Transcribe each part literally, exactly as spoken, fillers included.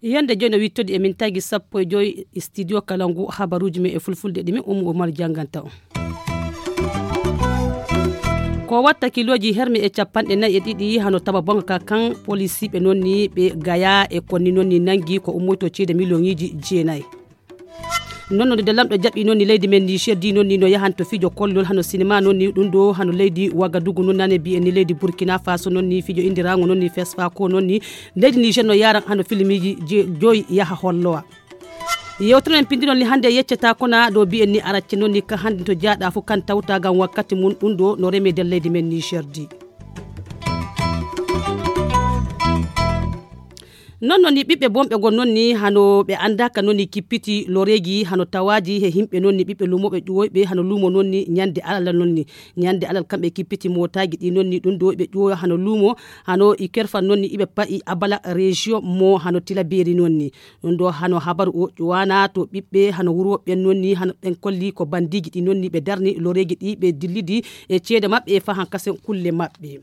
Yande jooni no wittodi e min tagi sappo e joyi studio kala ngu habaruuji men e fulfulde ɗi min ummu o mari jannganta on. Ko watta kilooji herme e capanɗe nayi e ɗiɗi hano taba bonga ka kan polisiiɓe noon ni ɓe gaya e konni noon ni nangi ko ummoyto ceede miliyoŋiiji jeenayi. Noon no nde lamɗo jaɓɓi noon ni leydi men Niger di noon ni no yahanto fijo kollol hano sinima noon ni ɗum ɗo hano leydi Wagadugu noon nane mbiyen ni leydi Burkina Faso noon ni fijo indiraango noon ni fesfa ko noon ni leydi Niger no yaran hano filmiji joyi yaha hollowa. Yewtere men pindi noon ni hannde yeccata kona ɗo mbiyen ni aracce noon ni ka hannde to jaaɗa fof kan tawta ngam wakkati mum ɗum ɗo no reme nder leydi men Niger di. Noon noon ni ɓiɓɓe bonɓe gon noon ni hano ɓe anndaka noon ni kippiti loreeji hano tawaaji he yimɓe noon ni ɓiɓɓe luumooɓe ƴuwoyɓe hano luumo noon ni ñande alal noon ni ñande alal kamɓe kippiti mootaaji ɗi noon ni ɗum ɗo ɓe ƴuwoyo hano luumo hano i kerfan noon ni iɓe pa'i abala région mo hano tilabeeri noon ni ɗum ɗo hano habaru o ƴuwana to ɓiɓɓe hano wuro ɓen noon ni hano ɓen kolli ko bandiiji ɗi noon ni ɓe darni loreeji ɗi ɓe dillidi e ceede maɓɓe e fahan kasen kulle maɓɓe.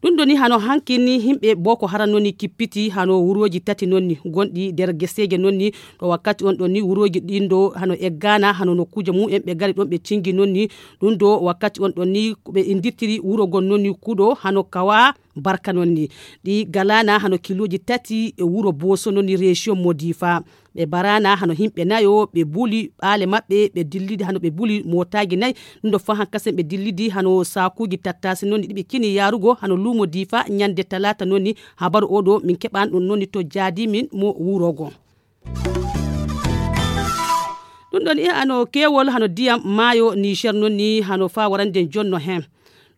Ɗum ɗo ni hano hanki ni yimɓe boko haran noon ni kippiti hano wurooji tati noon ni gonɗi nder geseeje noon ni ɗo wakkati on ɗon ni wurooji ɗin ɗo hano eggana hano nokkuuje mum en ɓe gari ɗon ɓe cingi noon ni ɗum ɗo wakkati on ɗon ni ɓe indirtiri wuro gon noon ni kuɗo hano kawa barka noon ni ɗi galana hano kilooji tati e wuro booso noon ni région mo difa ɓe barana hano yimɓe nayo ɓe buli ɓaale maɓɓe ɓe dillidi hano ɓe buli mootaaji nayi ɗum ɗo fof han kasen ɓe dillidi hano saakuuji tattaasi noon ni ɗiɓe kini yaarugo hano luumo diifa ñande talaata noon ni habaru oɗo min keɓan ɗum noon ni to jaadi min mo wurogo ɗum ɗon e ano keewol hano diyam maayo niger noon ni hano faa warande jonno heen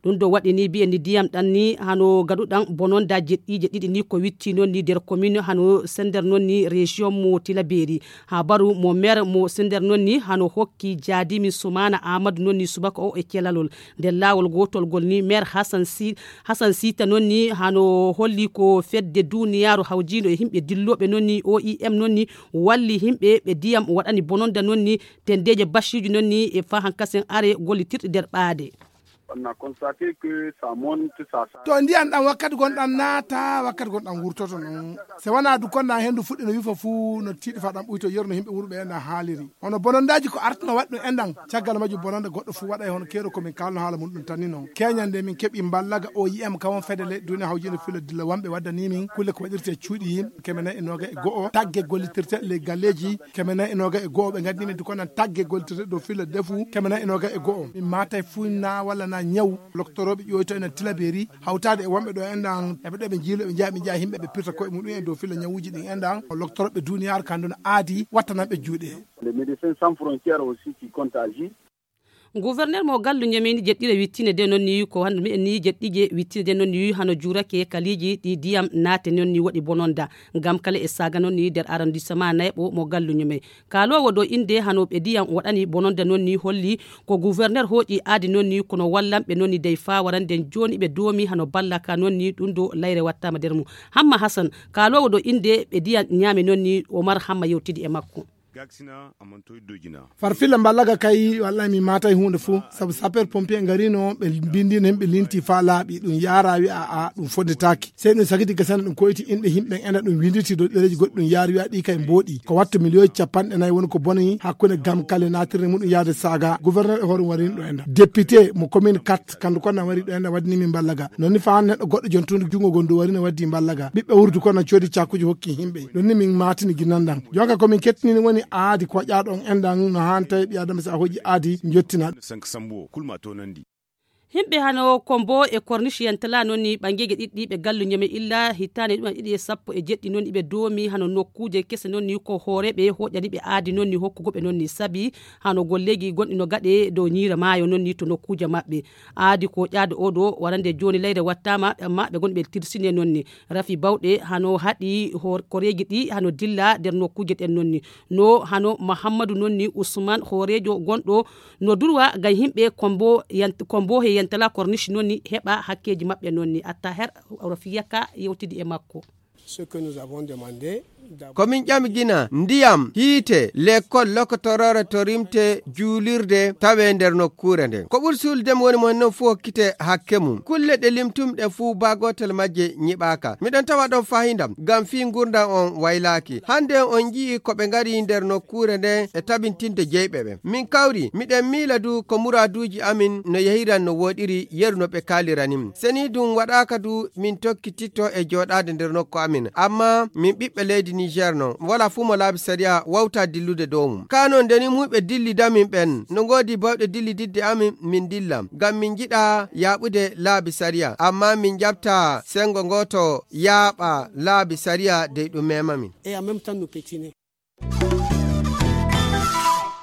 ɗum ɗo waɗi ni mbiyen ni diyam ɗan ni hano gaɗuɗan bononda jeɗɗiije ɗiɗi ni ko witti noon ni nder commune hano sender noon ni région mo tilaberi habaru mo maire mo sender noon ni hano hokki jaadimi sumana amadou noon ni subaka o e celalol nder laawol gootol ngol ni maire hasan si hasan sita noon ni hano holli ko fedde duniyaaru hawjiino e yimɓe dillooɓe noon ni oim noon ni walli yimɓe ɓe diyam waɗani bononda noon ni tendeeje basiiji noon ni e fahan kasen are gollitirɗe nder ɓaade. To ndiyan ɗan wakkati gon ɗan naata wakkati gon ɗan wurtoto non. Se wana du kon nan hendu fuɗɗi no wifa fu no tiiɗi fa ɗan ɓuyto yerno yimɓe wuro ɓe enɗan haaliri. Hono bonondaji ko artuno waɗi ɗum enɗan caggal majjum bononda goɗɗo fu waɗay hono keeɗo komin kalno haala mun ɗum tanni non. Keñande min keɓi mballaga oim kawon fedele duniya hawjino filo dilla wamɓe waddani min kulle ko waɗirte cuuɗi yimɓe keme nayi e noga e go'o tagge gollitirte ley galleji keme nayi e noga e go'o ɓe gandini min dukonan tagge gollitirte dow filo defu keme nayi e noga e go'o min matay fu na walla na ñaw loktoroɓe ƴoyto enen tilaberi hawtade e wonɓe ɗo enɗan eɓe ɗo ɓe jiilo ɓe jeeya ɓe jeeya yimɓe ɓe pirta koye muɗum en dow filo ñawuji ɗin enɗan loktoroɓe duniyaaru kan ɗon aadi wattananɓe juuɗe. Les médecins sans frontières aussi qui compte agir. Gouverneur mo gallu ñamini jeɗɗire wittinde de noon ni ko hande mbiyen ni jeɗɗije wittinde de noon ni hano juurake kaliiji ɗi diyam naate noon ni waɗi bononda ngam kala e saga noon ni nder arrondissement nayɓo mo gallu ñume kalowo ɗo inde hano ɓe diyam waɗani bononda noon ni holli ko gouverneur hooƴi aadi noon ni kono wallanɓe noon ni dey fa warande jooni ɓe doomi hano ballaka noon ni ɗum ɗo layre wattama nder mum. Hamma hasan kalowo ɗo inde ɓe diyam ñaami noon ni omar hamma yewtidi e makko. Farfilla mballaga kay wallahi mi matay hunde fo sabu sapeur pompier garino ɓe bindino hen ɓe linti fa laaɓi ɗum yara wi'a a ɗum fondetaki sey ɗum sagiti gasana ɗum koyti inɗe himɓe ena ɗum winditi dow ɗereji goɗɗi ɗum yara wi'a ɗi kay mboɗi ko wattu miliyoji capanɗe nayyi woni ko boni hakkunde gam kale natirde muɗum yaade saga gouverneur e hoore warinɗo ena député mo commune quatre kandu kon na wari ɗo ena waddini min mballaga nonni fa neɗɗo goɗɗo jontude jungo gonɗo wari ne waddi mballaga ɓiɓɓe wurdu kon na coodi cakuji hokki himɓe nonni min matini ginandan jonka komin kettinini woni aadi koƴaɗo on enɗan no han tawi ɓi adama si a hoƴi aadi jottina. Himɓe hano kombo e korniche yantala noon ni ɓangeeje ɗiɗɗi ɓe gallu ñame illa hittaande ɗumen ɗiɗi e sappo e jeɗɗi noon iɓe doomi hano nokkuuje kese noon ni ko hooreɓe hoƴaniɓe aadi noon ni hokkugoɓe noon ni sabi hano golleeji gonɗi no gaɗe dow ñiira maayo noon ni to nokkuuje maɓɓe. Aadi ko ƴaade oɗo warande jooni layre wattaama amma ɓe gonɓe tirsine noon ni rafi bawɗe hano haɗi koreeji ɗi hano dilla nder nokkuuje ɗen noon ni no hano mahammadu noon ni usman hooreejo gonɗo no durwa ngam yimɓe kombo he yantala korniche noon ni heɓa hakkeeji maɓɓe noon ni attaher rafiyaka yewtidi e makko. Ce que nous avons demandé, ko min ƴami gina ndiyam, hiite, lekkol, lokotoroore to rimte, juulirde tawee nder nokkuure nden. Ko ɓuri suulde mi woni mo hen non fuu hokkite hakke mum. Kulle ɗe limtumi ɗen fuu baa gootel majje nyiɓaaka. Miɗon tawa ɗon fahindam ngam fii ngurndan on waylaaki. Hannde on nji'i ko ɓe ngari nder nokkuure nden e tabintinde jeyɓe ɓen. Min kawri, miɗen miila du ko muraaduuji amin no yehiran no wooɗiri yeru no ɓe kaalirani min. Seni ɗum waɗaaka du min tokkititto e jooɗaade nder nokku amin. Amma min ɓiɓɓe leydi Niger non, wala fuu mo laabi sariya wawta dillude dow mum. Kaa non nde ni muuyɓe dillida min ɓen, no ngoodi bawɗe dillididde amin, min dilla. Ngam min njiɗa yaaɓude laabi sariya, amma min njaɓta senngo ngooto yaaɓa laabi sariya dey ɗum mema min. Et en même temps, nous pétiner.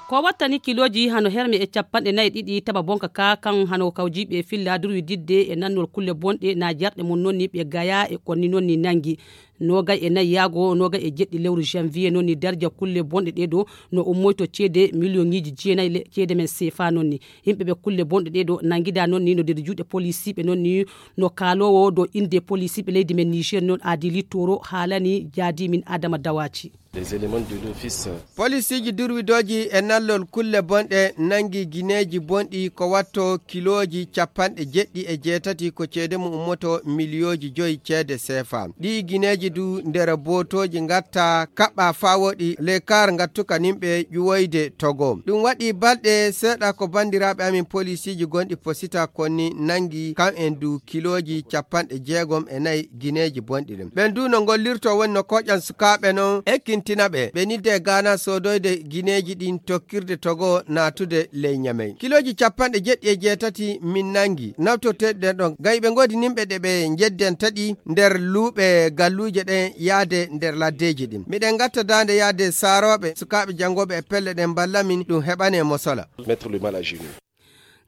Ko wattani kilooji hano herme e capanɗe nayi ɗiɗi taba bonka ka kan hano kawjiiɓe filla durwididde e nannol kulle bonɗe na jarɗe mum nonni ɓe gaya e konni nonni nangi. Nogay e nayi yaago nogay e jeɗɗi lewru janvier nonni darja kulle bonɗe ɗe ɗo no ummoyto ceede miliyoŋiiji jeenayi le- ceede men sefa nonni. Yimɓe ɓe kulle bonɗe ɗe ɗo nangida nonni no nder juuɗe polisiiɓe nonni no kaalowo dow innde polisiiɓe leydi men Niger non Adili Toro haalani jaadi min Adama Dawaci. Les éléments de l'office. Polisiiji durwidooji e nallol kulle bonɗe nangi gineeji bonɗi ko watto kilooji capanɗe jeɗɗi e jeetati ko ceede mum ummoto miliyooji joyi ceede sefa. Ɗii gineeji du nder bootooji ngatta kaɓɓa faa woɗi lekar ngattuka nimɓe ƴuwoyde Togo. Ɗum waɗi balɗe seeɗa ko banndiraaɓe amin polisiiji gonɗi posita konni nangi kam en du kilooji capanɗe jeegom e nayi gineeji bonɗi ɗin. Ɓen du no ngollirto woni no koƴan sukaaɓe non ekkintina ɓe. Ɓe nidde e Gaana soodoyde gineeji ɗin tokkirde Togo naatude ley Ñamey. Kilooji capanɗe jeɗɗi e jeetati min nangi nawtorteeɗi ɗen ɗon. Gay ɓe ngoodi nimɓe ɗe ɓe njeddenta ɗi nder luuɓe galluuje ɗen yaade nder laddeeji ɗin. Miɗen ngatta daande yaade saarooɓe sukaaɓe janngooɓe e pelle ɗen mballa min ɗum heɓane mosola. Mettre le mal à genoux.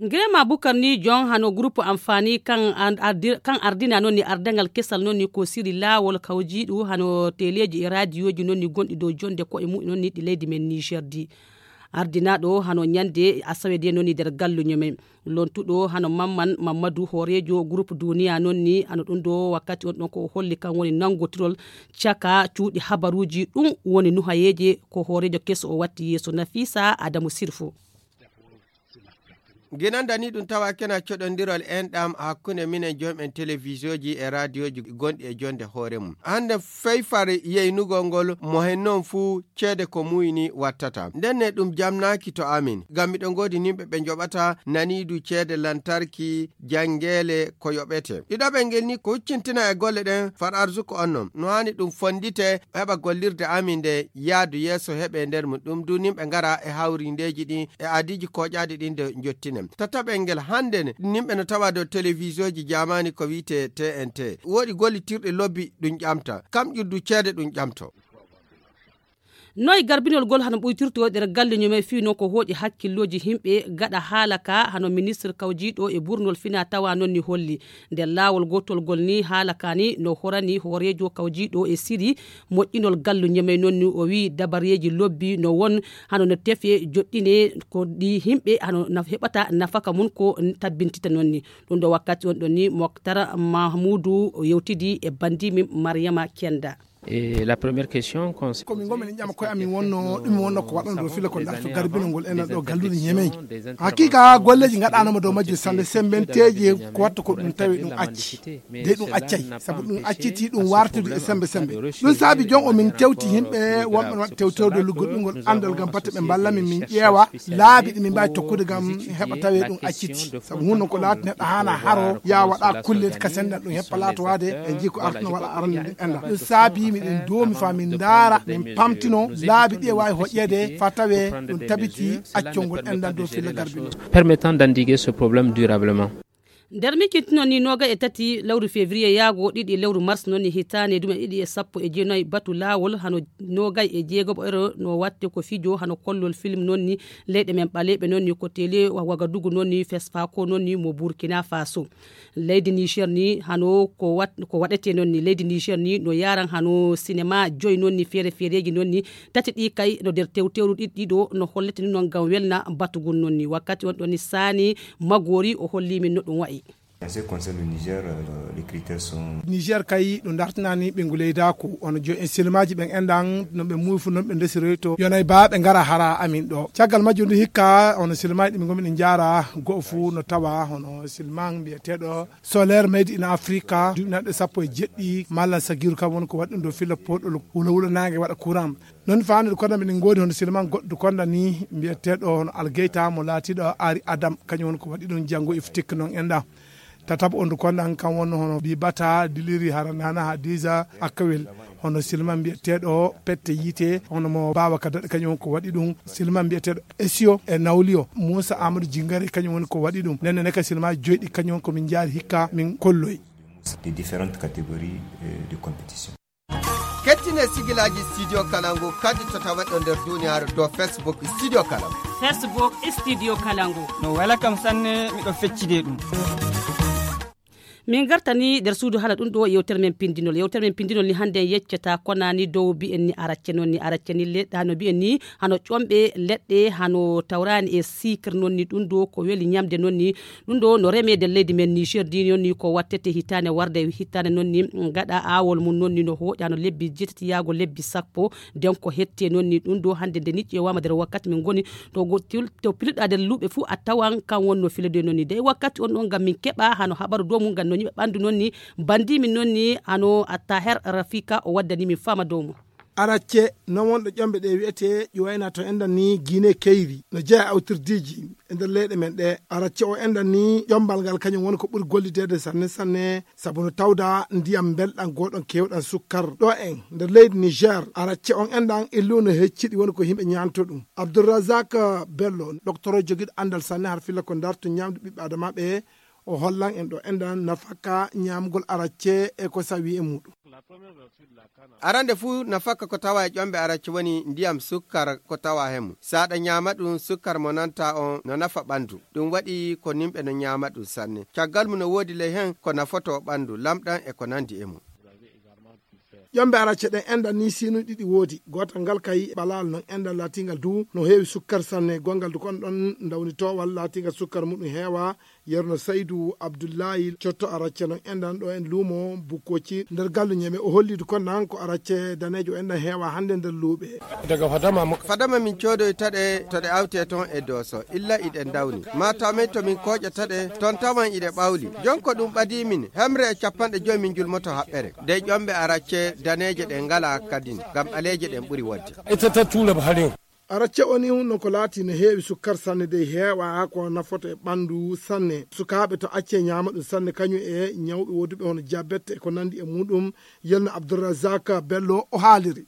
Ngirema Bukar ni jon hano groupe amfani kan an- ardi- kan ardina non ni ardangal kesal non ni ko siri laawol kawjiiɗu hano teleeji e raadiyooji non ni gonɗi dow jonde ko e mu'en non ni ɗi leydi men Niger di. Ardinaaɗo hano ñande asawe de non ni nder galluño men. Lontuɗo hano Mamman Mammadu hooreejo groupe duniya non ni hano ɗum ɗo wakkati on ɗon ko o holli kan woni nangotirol caka cuuɗi habaruuji ɗum woni nuhayeeje ko hooreejo keso o watti yeeso Nafisa Adamu Sirfo. Ginanda ni ɗum tawa kena coɗondirol enɗam hakkunde minen jom'en televisioji e radioji gonɗi e jonde hoore mum. Hannde feyfare yeynugol ngol mo hen noon fuu ceede ko muuyni wattata. Ndenne ɗum jamnaaki to amin, ngam miɗo ngoodi nimɓe ɓe njoɓata naniidu ceede lantarki, janngeele, ko yoɓete. Ɗiɗaɓel ngel ni ko huccintina e golle ɗen far arsuko on noon. No haani ɗum fonndite heɓa gollirde amin nde yaadu yeeso heɓe nder mum. Ɗum du nimɓe ngara e hawrindeeji ɗin e aadiiji kooƴaaɗi ɗin nde njottinen. Tataɓel ngel hannde ne, nimɓe no tawa dow televisioji jaamaani ko wi'etee T N T. Woodi gollitirɗe lobbi ɗum ƴamta. Kam ƴurdu ceede ɗum ƴamto. Noy garbinol gol hano ɓuytirto nder galle ñumay fii non ko hooƴi hakkillooji himɓe gaɗa haala ka hano ministre kawjiiɗo e burnol fina tawa non ni holli. Nder laawol gootol gol ni haala ka ni no horani hooreejo kawjiiɗo e siri moƴƴinol gallu ñamay non ni o wii dabareeji lobbi no won hano no tefe joɗɗine ko ɗi himɓe hano naf- heɓata nafaka mum ko tabbintita non ni. Ɗum ɗo wakkati on ɗon ni Moktar Mahmudu o yewtidi e bandi min Mariama Kenda. Et la première question concerne komin gomin en ƴama koye amin wonno ɗum wonno ko waɗan ɗo fila ko darto garbinol ngol enen ɗo galluɗe ñemeji. Hakika golleji gaɗanoma dow majji sande sembenteji ko watta ko ɗum tawi ɗum acci de ɗum accay sabu ɗum acciti ɗum wartidi e sembe sembe. Ɗum saabi jon o min tewti yimɓe wonɓe waɗa tewtewde lugguɗingol andal gam batte ɓe mballa min min ƴeewa laabi ɗi min mbawi tokkude gam heɓa tawe ɗum acciti. Sabu hunde ko laati neɗɗo haana haro ya waɗa kulle ka sendal ɗum heppa laatowade e jii ko artuno waɗa arande enɗam. Ɗum saabi miɗen doomi fa min ndaara min pamtino laabi ɗi e wawi hoƴƴede fa tawe ɗum tabiti accongol enɗam dow filla garbi ɗum. Permettant d'endiguer ce problème durablement. Nder mikinti noon ni noogay e tati lewru février yaago ɗiɗi lewru mars noon ni hitaande dume ɗiɗi e sappo e jeenayi batu laawol hano noogay e jeegoɓo ero no watte ko fijo hano kollol film noon ni leyɗe men ɓaleeɓe noon ni ko télé wagadugu noon ni fesfako noon ni mo burkina faso. Leydi niger ni hano ko wat ko waɗete noon ni leydi niger ni no yaran hano sinema joyi noon ni feere feereji noon ni tati ɗi kay no nder tewtewru ɗiɗi ɗiɗo no hollete ni noon ngam welna batugol noon ni wakkati on ɗon ni saani magori o holli min no ɗum wayi. En ce qui concerne le Niger, euh, les critères sont... Niger kay ɗum dartinaani ɓe nguleydaaku. Ono jo en silmaaji ɓen enɗan no ɓe muufu, non ɓe ndesiroyto. Yonay baa ɓe ngara hara amin ɗo. Caggal majjum ndu hikka, ono silmaaji ɗi min ngomi ɗi njaara, go'o fuu no tawa, hono silman mbiyeteeɗo Solaire Made in Africa, duuɓi naɗɗe sappo e jeɗɗi, Mallan Sagiru kam woni ko waɗi ɗum ɗo filla poɗol wula wula naange waɗa courant. Non faande ɗo konda min ngoodi hono silman goɗɗo konda ni mbiyeteeɗo hono Algeyta mo laatiiɗo Ari Adam, kañum woni ko waɗi ɗum janngo iftik non enɗan. Tataɓo on ɗo konda kan wonno hono Bibata Diliri Haranana Hadiza Akawel, hono silman mbiyeteeɗo Pette Yiite, hono mo Baaba Kadad, kañum woni ko waɗi ɗum silman mbiyeteeɗo Esio e Nawliyo, Muusa Amadou Jingare, kañum woni ko waɗi ɗum. Nden ne ka silmaaji joyɗi, kañum woni ko min njaari hikka, min kolloyi. Des différentes catégories, euh, de compétition. Kettine sigilaaji Studio Kalangu kadi to taweɗo nder duniyaaru dow Facebook Studio Kalangu. Facebook Studio Kalangu. No wela kam sanne, miɗo feccide ɗum. Min gartani nder suudu haala ɗum ɗo yewtere men pindinol. Yewtere men pindinol ni hannde en yeccata konani dow mbiyen ni aracce, non ni aracce ni leɗɗa no mbiyen ni hano ƴomɓe leɗɗe, hano tawrani e sikre, non ni ɗum ɗo ko weli ñamde, non ni ɗum ɗo no remeede leydi men Niger ndi, non ni ko wattete hitaande warde hitaande, non ni gaɗa aawol mum, non ni no hooƴa no lebbi jeetati yaago lebbi sappo. Nden ko hette, non ni ɗum ɗo hannde nde niƴƴi e wama nder wakkati min ngoni to go-, til-, to pilɗa nder luuɓe fuu a tawan kan wonno filede, non ni dey wakkati on ɗon ngam min keɓa hano habaru dow mum ngam no ñiɓa ɓandu, non ni bandi min, non ni hano a Taher Rafika o waddani min fama dow mum. Aracce non wonɗo ƴomɓe ɗe wi'ete ƴuwayna to enɗan ni Guinée Keyri, no jeya awtirdiiji e nder leyɗe men ɗe. Aracce o enɗan ni ƴombal ngal kañum woni ko ɓuri gollideede sanne sanne, sabu no tawda ndiyam mbelɗan gooɗon keewɗan sukkar. Ɗo en nder leydi Niger, aracce on enɗan illu no hecciɗi woni ko yimɓe ñaanto ɗum. Abdourazak Bello, docteur jogiiɗo anndal sanne har filla ko darto ñaamdu ɓiɓɓe adamaaɓe, o hollan en ɗo enɗan nafaka ñaamgol aracce e ko sawi e muɗum. Arande fuu, nafaka ko tawa e ƴomɓe aracce woni ndiyam sukkar ko tawa he mum. Saɗa ñaama ɗum, sukkar mo nanta on no nafa ɓandu. Ɗum waɗi ko nimɓe no ñaama ɗum sanne. Caggal mum no woodi ley hen ko nafoto ɓandu, lamɗam e ko nandi e mum. Ƴomɓe aracce ɗen enɗan ni sinuji ɗiɗi woodi. Gootal ngal kay ɓalal non enɗan laatingal du no heewi sukkar sanne. Gongal du kon ɗon ndawnitowal laatingal sukkar muɗum heewa. Yerno Saydu Abdullahi cotto aracce non enɗan ɗo en luumo Bukkoci nder gallu Ñeme. O holli du kon nan ko aracce daneejo enɗan heewa hannde nder luuɓe. Daga fadama mo. Fadama min coodoyta ɗe to ɗe awte toon e Dooso, illa iɗe ndawni. Maataw men to min kooƴata ɗe, toon tawan iɗe ɓawli. Jon ko ɗum ɓadii min, hemre e capanɗe joy min njulmoto haɓɓere. Dey ƴomɓe aracce daneeje ɗe ngalaa kadin, ngam ɓaleeje ɗen ɓuri wodde. Ita ta tura ba harin. Aracce o ni no ko laati no heewi sukkar sanne, dey heewa ko nafoto e ɓandu sanne. Sukaaɓe to acce ñaama ɗum sanne, kañum e ñawɓe woduɓe hono diabète e ko nandi e muɗum, Yerno Abdourazak Bello o haaliri.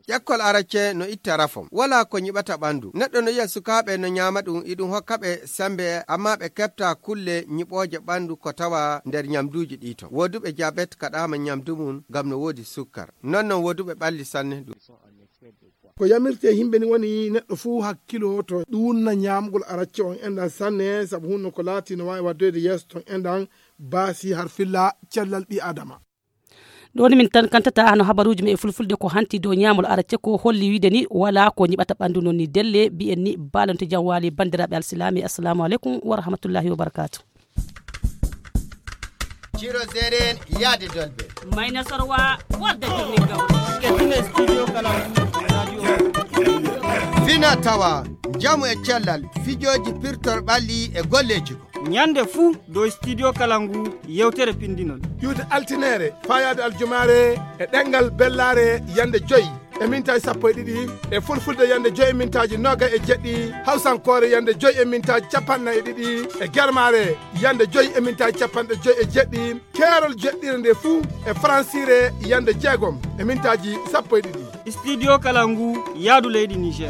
Ƴakkol aracce no itta rafom. Walaa ko ñiɓata ɓandu. Neɗɗo no yi'a sukaaɓe no ñaama ɗum, iɗum hokka ɓe sembe, amma ɓe keɓta kulle ñiɓooje ɓandu ko tawa nder ñamduuji ɗi ton. Woduɓe diabète kaɗaama ñamdu mum ngam no woodi sukkar. Non non woduɓe ɓalli sanne ɗum. Ko yamirte yimɓe ni woni neɗɗo fuu hakkilo to ɗuunna ñaamgol aracce on enɗan sanne, sabu hunno ko laati no waawi waddoyde yeeso ton enɗan baasi har filla cellal ɓi Adama. Ɗo ni min tan kantata hano habaruuji men e fulfulde ko hanti dow ñaamol aracce ko holli wiide ni walaa ko ñiɓata ɓandu non ni delle mbiyen ni baalonte jam waali banndiraaɓe alsilaami. Assalamu aleykum wa rahmatullahi wa barakatuh. Ciro Zeren yaade dolbe. Mayna Sorwa wadda jirmin gawri. Kettine studio kala radio. Fina tawa, njamu e cellal, fijooji pirtor ɓalli e golleeji ko. Ñande fuu dow studio kala ngu yewtere pindinol. Iwde altineere, faayaade aljumaare e ɗemngal bellaare yande joy e mintaaji sappo e ɗiɗi, e fulfulde yande joy e mintaaji noogay e jeɗɗi, hawsankoore yande joy e mintaaji capanɗe nayi e ɗiɗi, e germaare yande joy e mintaaji capanɗe joy e jeɗɗi, keerol jeɗɗire nde fuu e faransiire yande jeegom e mintaaji sappo e ɗiɗi. Studio kala ngu yaadu leydi Niger.